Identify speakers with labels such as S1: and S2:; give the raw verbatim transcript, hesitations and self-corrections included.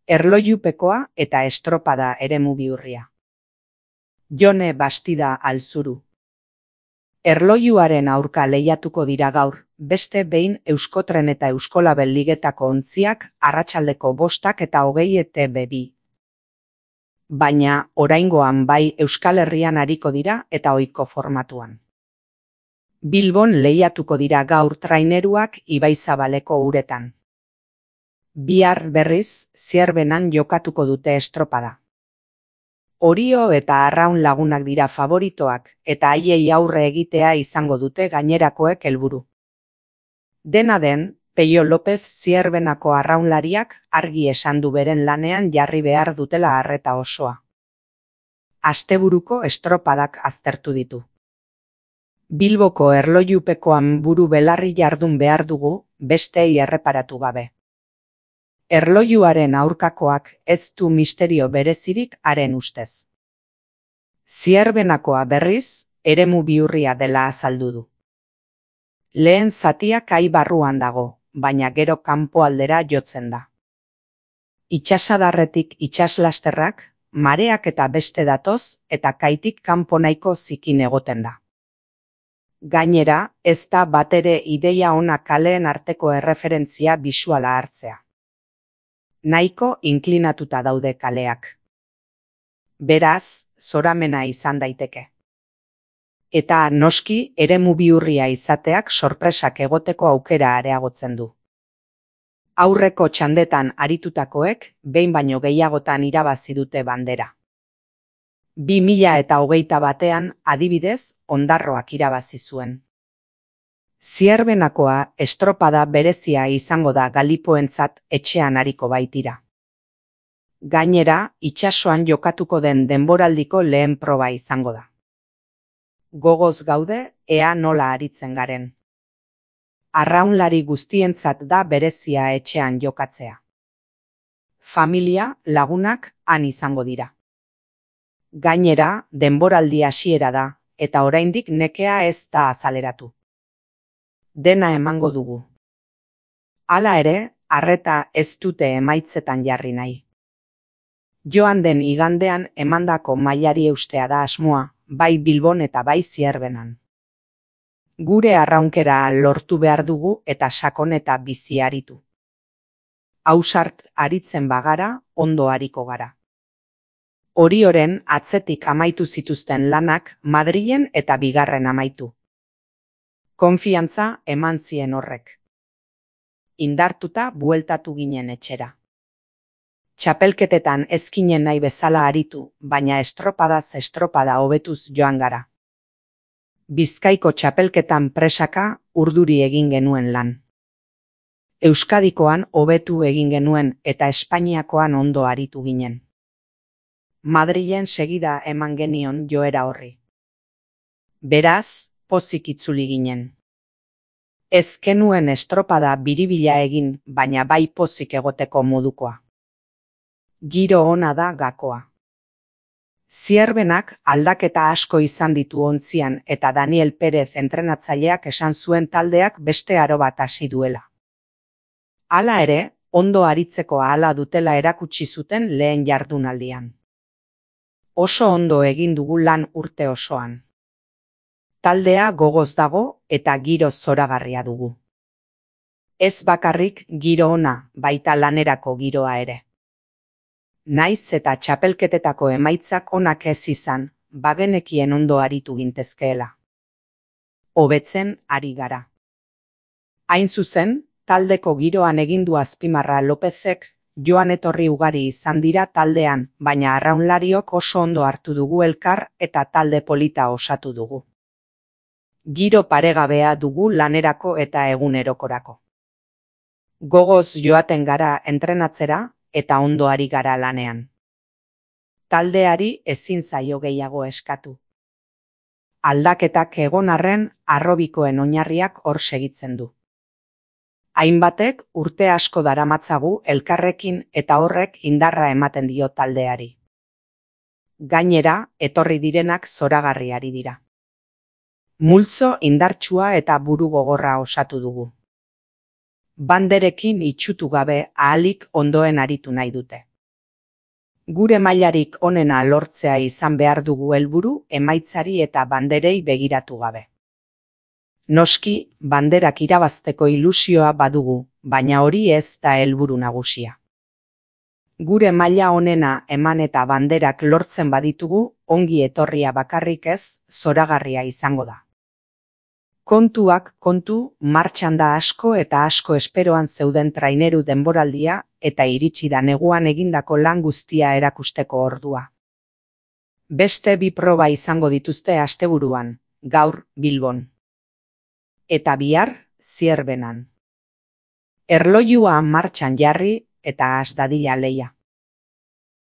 S1: Erlojupekoa eta estropada eremu bihurria. Jone Bastida Alzuru. Erlojuaren aurka lehiatuko dira gaur, beste behin Euskotren eta Euskolabel ligetako ontziak arratsaldeko bostak eta hogei E T B bi. Baina, oraingoan bai Euskal Herrian ariko dira eta ohiko formatuan. Bilbon lehiatuko dira gaur traineruak Ibaizabaleko uretan. Bihar berriz, Zierbenan jokatuko dute estropada. Orio eta Arraun Lagunak dira favoritoak eta haiei aurre egitea izango dute gainerakoek helburu. Dena den, Peio Lopez Zierbenako arraunlariak argi esan du beren lanean jarri behar dutela arreta osoa. Asteburuko estropadak aztertu ditu. Bilboko erlojupekoan buru belarri jardun behar dugu, bestei erreparatu gabe. Erlojuaren aurkakoak ez du misterio berezirik haren ustez. Zierbenakoa berriz, eremu bihurria dela azaldu du. Lehen zatia kai barruan dago, baina gero kanpoaldera jotzen da. Itsasadarretik itsaslasterrak, mareak eta beste datoz eta kaitik kanpo nahiko zikin egoten da. Gainera, ez da batere ideia ona kaleen arteko erreferentzia bisuala hartzea. Nahiko inklinatuta daude kaleak. Beraz, zoramena izan daiteke. Eta noski eremu bihurria izateak sorpresak egoteko aukera areagotzen du. Aurreko txandetan aritutakoek behin baino gehiagotan irabazi dute bandera. Bi mila eta hogeita batean adibidez Ondarroak irabazi zuen. Zierbenakoa estropada berezia izango da galipoentzat etxean ariko baitira. Gainera, itsasoan jokatuko den denboraldiko lehen proba izango da. Gogoz gaude, ea nola aritzen garen. Arraunlari guztientzat da berezia etxean jokatzea. Familia, lagunak, han izango dira. Gainera, denboraldi hasiera da, eta oraindik nekea ez da azaleratu. Dena emango dugu. Hala ere, arreta ez dute emaitzetan jarri nahi. Joan den igandean emandako mailari eustea da asmoa, bai Bilbon eta bai Zierbenan. Gure arraunkera lortu behar dugu eta sakon eta bizi aritu. Ausart aritzen bagara, ondo ariko gara. Orioren atzetik amaitu zituzten lanak Madrilen eta bigarren amaitu. Konfiantza eman zien horrek. Indartuta bueltatu ginen etxera. Txapelketetan ezkinen nahi bezala aritu, baina estropadaz estropada hobetuz joan gara. Bizkaiko txapelketan presaka urduri egin genuen lan. Euskadikoan hobetu egin genuen eta Espainiakoan ondo aritu ginen. Madrilen segida eman genion joera horri. Beraz, pozik itzuli ginen. Ez genuen estropada biribila egin, baina bai pozik egoteko modukoa. Giro ona da gakoa. Zierbenak aldaketa asko izan ditu ontzian eta Daniel Perez entrenatzaileak esan zuen taldeak beste aro bat hasi duela. Hala ere, ondo aritzeko ahala dutela erakutsi zuten lehen jardunaldian. Oso ondo egin dugu lan urte osoan. Taldea gogoz dago eta giro zoragarria dugu. Ez bakarrik giro ona, baita lanerako giroa ere. Naiz eta txapelketetako emaitzak onak ez izan, bagenekien ondo aritu gintezkeela. Hobetzen ari gara. Hain zuzen, taldeko giroan egindu azpimarra Lopezek, joan etorri ugari izan dira taldean, baina arraunlariok oso ondo hartu dugu elkar eta talde polita osatu dugu. Giro paregabea dugu lanerako eta egunerokorako. Gogoz joaten gara entrenatzera eta ondo ari gara lanean. Taldeari ezin zaio gehiago eskatu. Aldaketak egon arren harrobikoen oinarriak hor segitzen du. Hainbatek urte asko daramatzagu elkarrekin eta horrek indarra ematen dio taldeari. Gainera, etorri direnak zoragarriari dira. Multzo indartsua eta buru gogorra osatu dugu. banderekin itxutu gabe ahalik ondoen aritu nahi dute. Gure mailarik onena lortzea izan behar dugu helburu emaitzari eta banderei begiratu gabe. Noski, banderak irabazteko ilusioa badugu, baina hori ez da helburu nagusia. Gure maila onena eman eta banderak lortzen baditugu, ongi etorria bakarrik ez, zoragarria izango da. Kontuak kontu, martxan da asko eta asko esperoan zeuden traineru denboraldia eta iritsi da neguan egindako lan guztia erakusteko ordua. Beste bi proba izango dituzte asteburuan, gaur Bilbon. Eta bihar Zierbenan. Erloilua martxan jarri eta has dadila lehia.